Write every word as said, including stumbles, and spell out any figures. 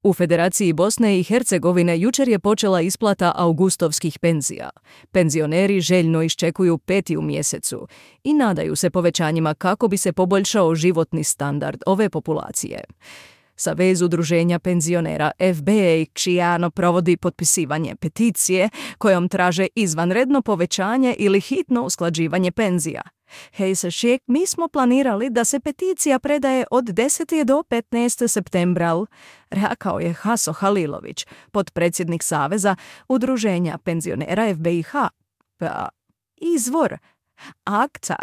U Federaciji Bosne i Hercegovine jučer je počela isplata augustovskih penzija. Penzioneri željno iščekuju peti u mjesecu i nadaju se povećanjima kako bi se poboljšao životni standard ove populacije. Savez udruženja penzionera F B A Ciano provodi potpisivanje peticije kojom traže izvanredno povećanje ili hitno usklađivanje penzija. Hejsa Šijek, mi smo planirali da se peticija predaje od desetog do petnaestog septembra, rekao je Haso Halilović, potpredsjednik Saveza udruženja penzionera F B I H. Pa, izvor akta